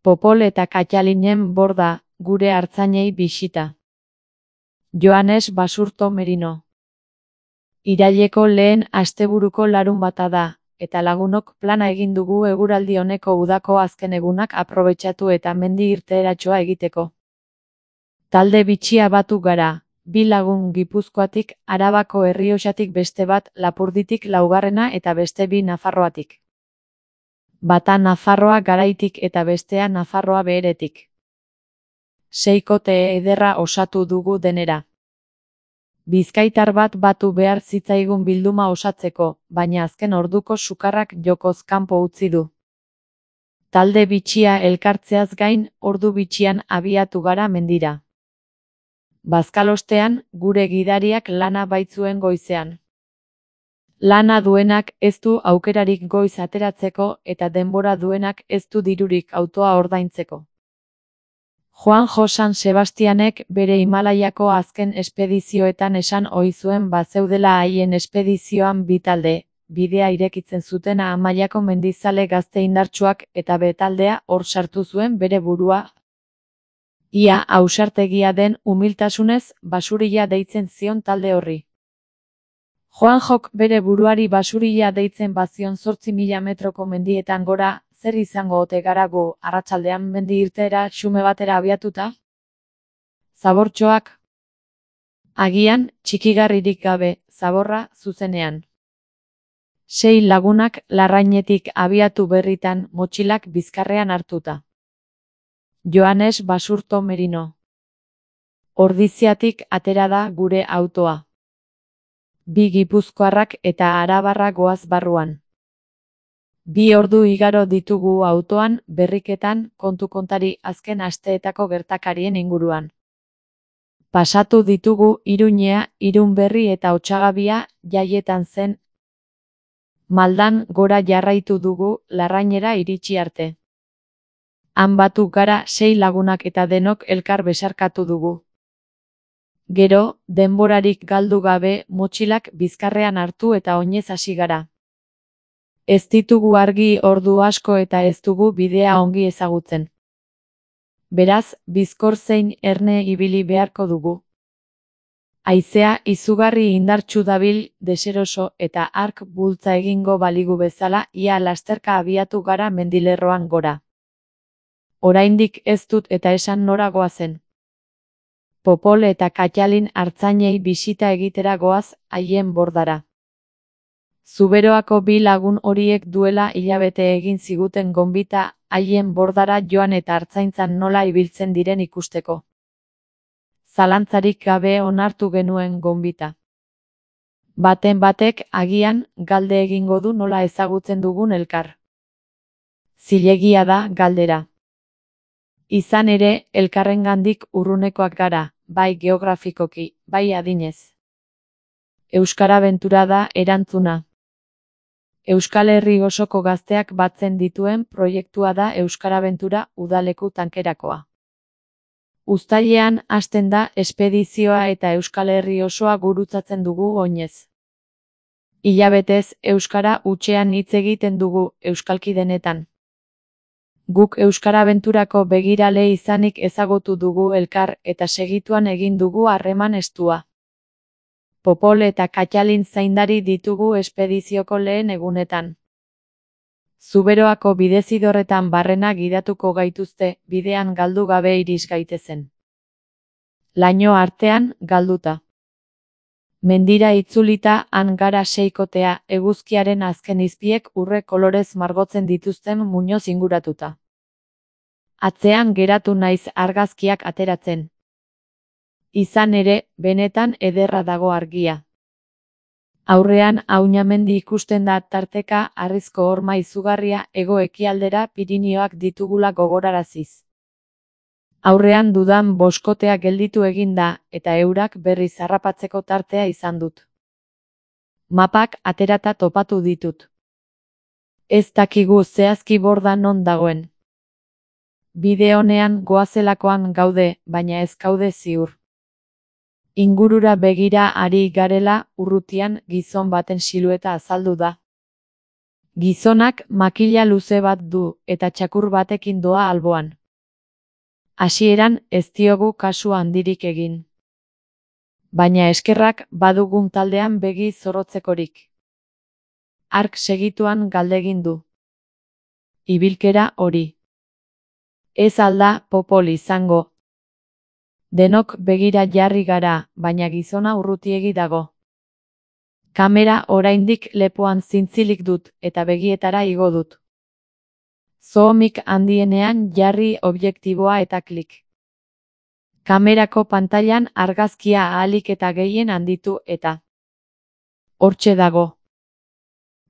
Popol eta Katalinen borda, gure artzainei bisita. Joanes Basurto Merino. Iraileko lehen asteburuko larunbata da, eta lagunok plana egin dugu eguraldi honeko udako azken egunak aprobetxatu eta mendi irteeratxoa egiteko. Talde bitxia batu gara, 2 lagun Gipuzkoatik, Arabako Errioxatik beste bat, Lapurditik laugarrena eta beste 2 Nafarroatik. Bata Nafarroa Garaitik eta bestea Nafarroa Beheretik. 6kote ederra osatu dugu denera. Bizkaitar bat batu behar zitzaigun bilduma osatzeko, baina azken orduko sukarrak jokoz kanpo utzi du. Talde bitxia elkartzeaz gain, ordu bitxian abiatu gara mendira. Bazkalostean, gure gidariak lana baitzuen goizean. Lana duenak ez du aukerarik goiz ateratzeko eta denbora duenak ez du dirurik autoa ordaintzeko. Juanjo San Sebastianek bere Himalaiako azken espedizioetan esan ohi zuen bazeudela haien espedizioan 2 talde, bidea irekitzen zutena Amaiako mendizale gazte indartsuak eta betaldea hor sartu zuen bere burua. Ia ausartegia den umiltasunez basurila deitzen zion talde horri. Juanjok bere buruari basurila deitzen bazion 8.000 metroko mendietan gora, zer izango ote gara gu arratsaldean mendi irteera xume batera abiatuta? Zabortxoak? Agian, txikigarririk gabe, zaborra zuzenean. 6 lagunak Larrainetik abiatu berritan motxilak bizkarrean hartuta. Joanes Basurto Merino. Ordiziatik atera da gure autoa. 2 Gipuzkoarrak eta Arabarra goaz barruan. 2 ordu igaro ditugu autoan, berriketan, kontu-kontari azken asteetako gertakarien inguruan. Pasatu ditugu Iruñea, Irunberri eta Otsagabia, jaietan zen. Maldan gora jarraitu dugu, Larrainera iritsi arte. Han batu gara 6 lagunak eta denok elkar besarkatu dugu. Gero, denborarik galdu gabe, motxilak bizkarrean hartu eta oinez hasi gara. Ez ditugu argi ordu asko eta ez dugu bidea ongi ezagutzen. Beraz, bizkor zein erne ibili beharko dugu. Haizea izugarri indartsu dabil, deseroso eta hark bultza egingo baligu bezala, ia lasterka abiatu gara mendilerroan gora. Oraindik ez dut eta esan nora goazen. Popol eta Katalin artzainei bisita egitera goaz, haien bordara. Zuberoako 2 lagun horiek duela hilabete egin ziguten gonbita, haien bordara joan eta artzaintzan nola ibiltzen diren ikusteko. Zalantzarik gabe onartu genuen gonbita. Baten batek agian galde egingo du nola ezagutzen dugun elkar. Zilegia da galdera. Izan ere, elkarrengandik urrunekoak gara, bai geografikoki, bai adinez. Euskara Bentura da erantzuna. Euskal Herri osoko gazteak batzen dituen proiektua da Euskara Bentura udaleku tankerakoa. Uztailean hasten da espedizioa eta Euskal Herri osoa gurutzatzen dugu oinez. Hilabetez euskara hutsean hitz egiten dugu euskalki denetan. Guk Euskara Benturako begirale izanik ezagutu dugu elkar eta segituan egin dugu harreman estua. Popol eta Katalin zaindari ditugu espedizioko lehen egunetan. Zuberoako bidezidorretan barrena gidatuko gaituzte, bidean galdu gabe iris gaitezen. Laino artean, galduta. Mendira itzulita han gara 6kotea, eguzkiaren azken izpiek urre kolorez margotzen dituzten muñoz inguratuta. Atzean geratu naiz argazkiak ateratzen. Izan ere, benetan ederra dago argia. Aurrean Auñamendi ikusten da tarteka harrizko horma izugarria hego-ekialdera Pirinioak ditugula gogoraraziz. Aurrean dudan boskotea gelditu egin da, eta eurak berriz harrapatzeko tartea izan dut. Mapak aterata topatu ditut. Ez dakigu zehazki borda non dagoen. Bide honean goazelakoan gaude, baina ez gaude ziur. Ingurura begira ari garela, urrutian gizon baten silueta azaldu da. Gizonak makila luze bat du eta txakur batekin doa alboan. Hasieran ez diogu kasu handirik egin. Baina eskerrak badugun taldean begi zorrotzekorik. Hark segituan galdegin du. Ibilkera hori. Ez alda Popol izango. Denok begira jarri gara, baina gizona urrutiegi dago. Kamera oraindik lepoan zintzilik dut eta begietara igo dut. Zoomik handienean jarri objektiboa eta klik. Kamerako pantailan argazkia ahalik eta gehien handitu eta hortxe dago.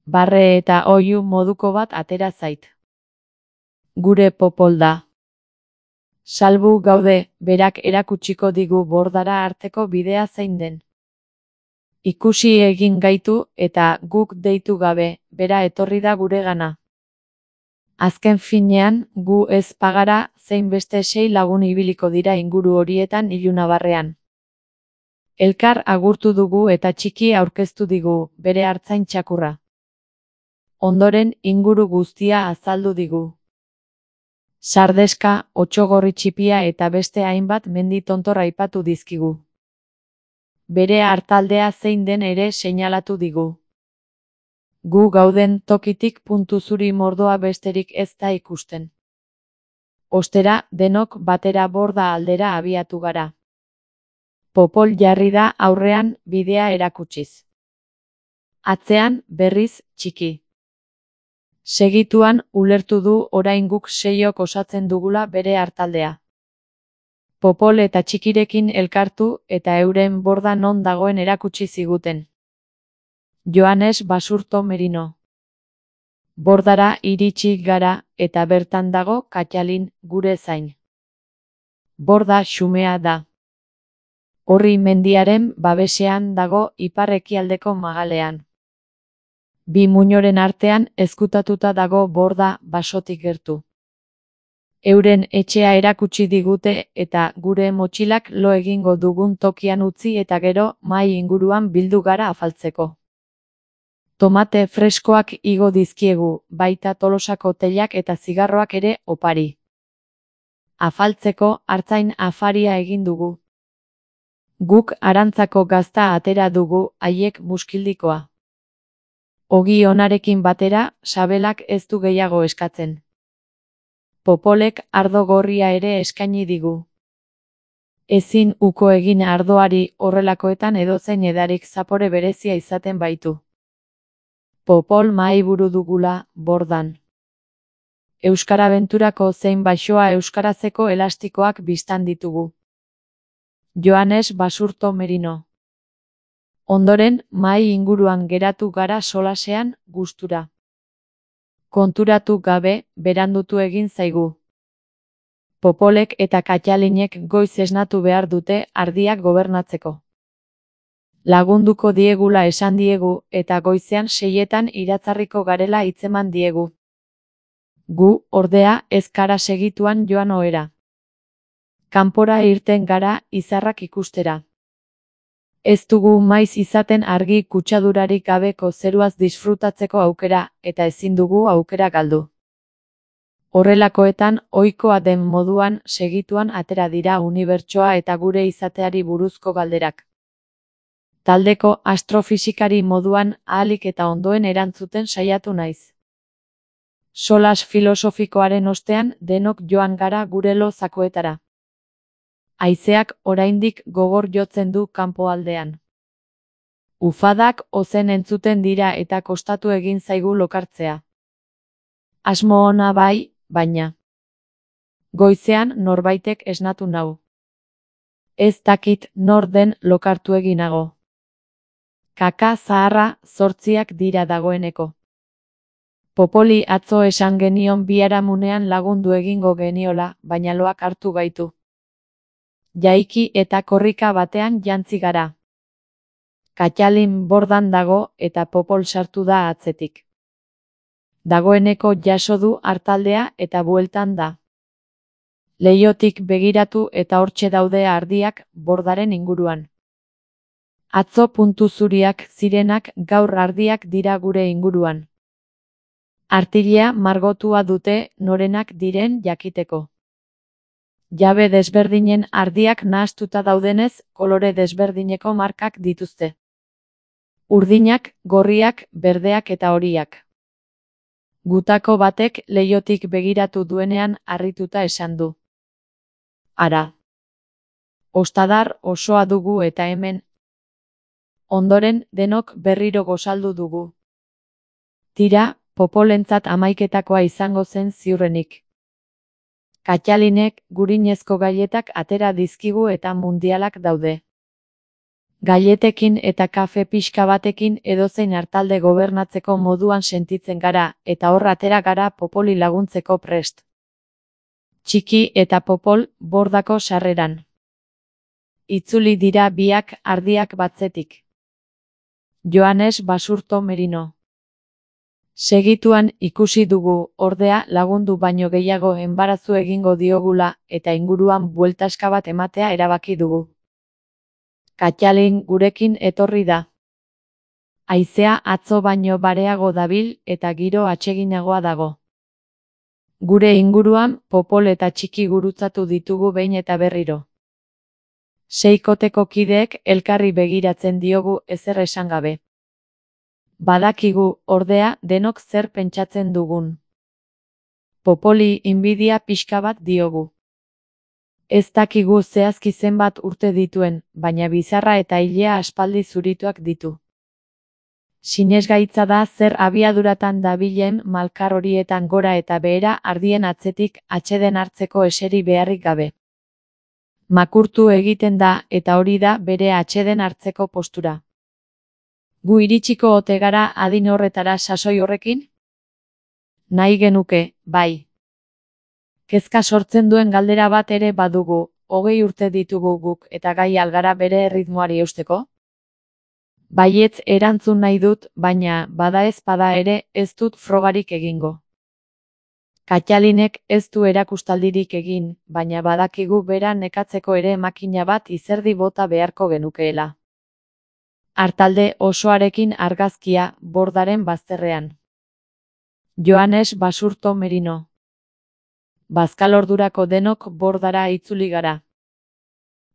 Barre eta oihu moduko bat atera zait. Gure Popol da. Salbu gaude, berak erakutsiko digu bordara arteko bidea zein den. Ikusi egin gaitu eta guk deitu gabe, bera etorri da guregana. Azken finean, gu ez pagara zein beste 6 lagun ibiliko dira inguru horietan ilunabarrean. Elkar agurtu dugu eta txiki aurkeztu digu, bere artzain txakurra. Ondoren inguru guztia azaldu digu. Sardeska, Otsogorri txipia eta beste hainbat mendi tontor aipatu dizkigu. Bere artaldea zein den ere seinalatu digu. Gu gauden tokitik puntu zuri mordoa besterik ez da ikusten. Ostera, denok batera borda aldera abiatu gara. Popol jarri da aurrean bidea erakutsiz. Atzean, berriz, txiki. Segituan, ulertu du orain guk 6ok osatzen dugula bere artaldea. Popol eta txikirekin elkartu eta euren borda non dagoen erakutsi ziguten. Joanes Basurto Merino. Bordara iritsi gara eta bertan dago Katxalin, gure zain. Borda xumea da. Orri mendiaren babesean dago ipar-ekialdeko magalean. Bi muinoren artean ezkutatuta dago borda basotik gertu. Euren etxea erakutsi digute eta gure motxilak lo egingo dugun tokian utzi eta gero mahai inguruan bildu gara afaltzeko. Tomate freskoak igo dizkiegu, baita Tolosako teilak eta zigarroak ere opari. Afaltzeko artzain afaria egin dugu. Guk arantzako gazta atera dugu, haiek muskildikoa. Ogi onarekin batera, sabelak ez du gehiago eskatzen. Popolek ardo gorria ere eskaini digu. Ezin uko egin ardoari horrelakoetan edozein edarik zapore berezia izaten baitu. Popol mahaiburu dugula, bordan. Euskarabenturako zein baxoa euskarazeko elastikoak bistan ditugu. Joanes Basurto Merino. Ondoren, mahai inguruan geratu gara solasean, gustura. Konturatu gabe, berandutu egin zaigu. Popolek eta Katxalinek goiz esnatu behar dute ardiak gobernatzeko. Lagunduko diegula esan diegu eta goizean 6etan iratzarriko garela hitzeman diegu. Gu, ordea, ez gara segituan joan ohera. Kanpora irten gara izarrak ikustera. Ez dugu maiz izaten argi kutsadurarik gabeko zeruaz disfrutatzeko aukera, eta ezin dugu aukera galdu. Horrelakoetan, ohikoa den moduan segituan atera dira unibertsoa eta gure izateari buruzko galderak. Taldeko astrofisikari moduan ahalik eta ondoen erantzuten saiatu naiz. Solas filosofikoaren ostean denok joan gara gure lo zakuetara. Haizeak oraindik gogor jotzen du kanpoaldean. Ufadak ozen entzuten dira eta kostatu egin zaigu lokartzea. Asmo ona bai, baina goizean norbaitek esnatu nau. Ez dakit nor den lokartu eginago. Kaka zaharra 8 dira dagoeneko. Popoli atzo esan genion biharamunean lagundu egingo geniola, baina loak hartu gaitu. Jaiki eta korrika batean jantzi gara. Katxalin bordan dago eta Popol sartu da atzetik. Dagoeneko jaso du artaldea eta bueltan da. Leihotik begiratu eta hortxe daude ardiak bordaren inguruan. Atzo puntu zuriak zirenak gaur ardiak dira gure inguruan. Artilea margotua dute norenak diren jakiteko. Jabe desberdinen ardiak nahastuta daudenez, kolore desberdineko markak dituzte. Urdinak, gorriak, berdeak eta horiak. Gutako batek leihotik begiratu duenean harrituta esan du. Ara. Ostadar osoa dugu eta hemen. Ondoren denok berriro gozaldu dugu. Tira, popolentzat amaiketakoa izango zen ziurrenik. Katxalinek gurinezko gailetak atera dizkigu eta mundialak daude. Gailetekin eta kafe pixka batekin edozein hartalde gobernatzeko moduan sentitzen gara eta hor atera gara popoli laguntzeko prest. Txiki eta popol bordako sarreran. Itzuli dira biak ardiak batzetik. Joanes Basurto Merino. Segituan ikusi dugu, ordea lagundu baino gehiago enbarazu egingo diogula eta inguruan bueltaska bat ematea erabaki dugu. Katxalin gurekin etorri da. Haizea atzo baino bareago dabil eta giro atseginagoa dago. Gure inguruan popol eta txiki gurutzatu ditugu behin eta berriro. Seikoteko kideek elkarri begiratzen diogu ezer esan gabe. Badakigu, ordea, denok zer pentsatzen dugun. Popoli inbidia pixka bat diogu. Ez dakigu zehazki zenbat urte dituen, baina bizarra eta ilea aspaldi zurituak ditu. Sinesgaitza da zer abiaduratan dabilen malkar horietan gora eta behera ardien atzetik atseden hartzeko eseri beharrik gabe. Makurtu egiten da eta hori da bere atseden hartzeko postura. Gu iritsiko ote gara adin horretara sasoi horrekin? Nahi genuke, bai. Kezka sortzen duen galdera bat ere badugu, 20 urte ditugu guk eta gai algara bere erritmoari eusteko? Baietz erantzun nahi dut, baina bada ez bada ere ez dut frogarik egingo. Katxalinek ez du erakustaldirik egin, baina badakigu bera nekatzeko ere makina bat izerdi bota beharko genukeela. Hartalde osoarekin argazkia bordaren bazterrean. Joanes Basurto Merino. Bazkalordurako denok bordara itzuli gara.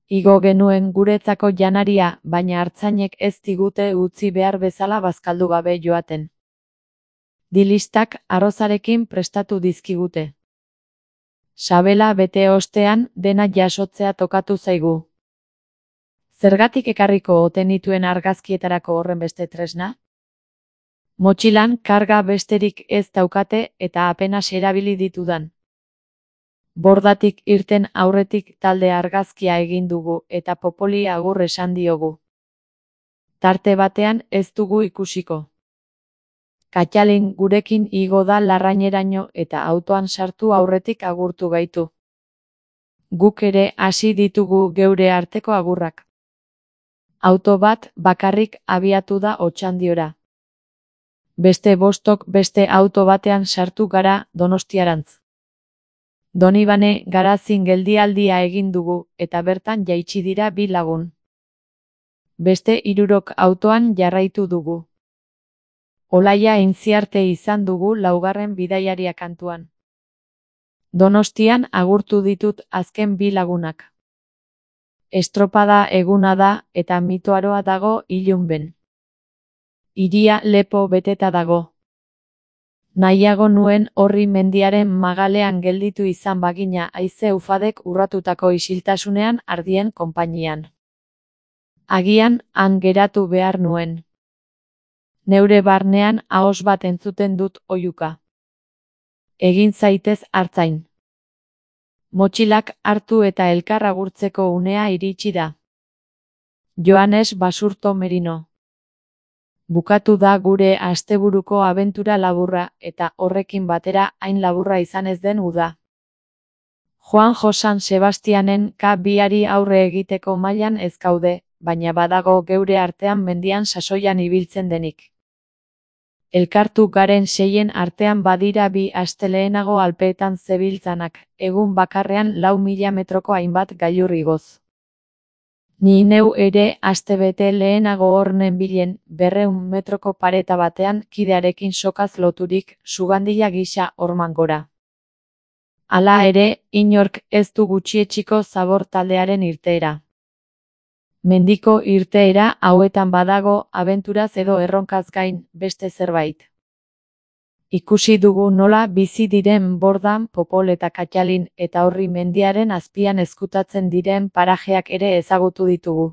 Igo genuen guretzako janaria, baina artzainek ez digute utzi behar bezala bazkaldu gabe joaten. Dilistak arrozarekin prestatu dizkigute. Sabela bete ostean dena jasotzea tokatu zaigu. Zergatik ekarriko ote nituen argazkietarako horren beste tresna? Motxilan karga besterik ez daukate eta apenas erabili ditudan. Bordatik irten aurretik talde argazkia egin dugu eta popoli agur esan diogu. Tarte batean ez dugu ikusiko. Katxalin gurekin igo da larraineraino eta autoan sartu aurretik agurtu gaitu. Guk ere hasi ditugu geure arteko agurrak. Auto bat bakarrik abiatu da Otxandiora. Beste 5 beste auto batean sartu gara Donostiarantz. Donibane Garazin geldialdia egin dugu eta bertan jaitsi dira 2 lagun. Beste 3 autoan jarraitu dugu. Olaia Intziarte izan dugu 4. bidaiaria kantuan. Donostian agurtu ditut azken 2 lagunak. Estropada eguna da eta mitoaroa dago ilunben. Hiria lepo beteta dago. Nahiago nuen horri mendiaren magalean gelditu izan bagina haize ufadek urratutako isiltasunean ardien konpainian. Agian han geratu behar nuen. Neure barnean ahos bat entzuten dut oihuka. Egin zaitez artzain. Motxilak hartu eta elkar agurtzeko unea iritsi da. Joanes Basurto Merino. Bukatu da gure asteburuko abentura laburra eta horrekin batera hain laburra izan ez den uda. Juan Josan Sebastianen K2ari aurre egiteko mailan ez gaude, baina badago geure artean mendian sasoian ibiltzen denik. Elkartu garen 6 artean badira 2 astelehenago Alpeetan zebiltzanak, egun bakarrean 4.000 metroko hainbat gailur igoz. Ni neu ere astebete lehenago hor nenbilen 200 metroko pareta batean kidearekin sokaz loturik sugandila gisa horman gora. Hala ere, inork ez du gutxietsiko Zabor taldearen irteera. Mendiko irteera hauetan badago abenturaz edo erronkaz gain beste zerbait. Ikusi dugu nola bizi diren Bordan, Popol eta Katxalin eta Orri mendiaren azpian ezkutatzen diren parajeak ere ezagutu ditugu.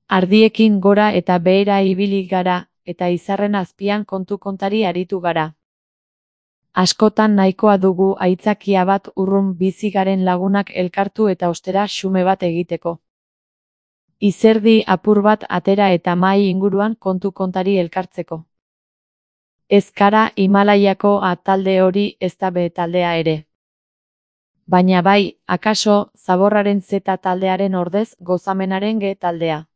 Ardiekin gora eta behera ibili gara, eta izarren azpian kontu-kontari aritu gara. Askotan nahikoa dugu aitzakia bat urrun bizi garen lagunak elkartu eta ostera xume bat egiteko. Izerdi apur bat atera eta mahai inguruan kontu-kontari elkartzeko. Ez gara Himalaiako A talde hori ezta B taldea ere. Baina bai, akaso, Zaborraren Z taldearen ordez gozamenaren G taldea.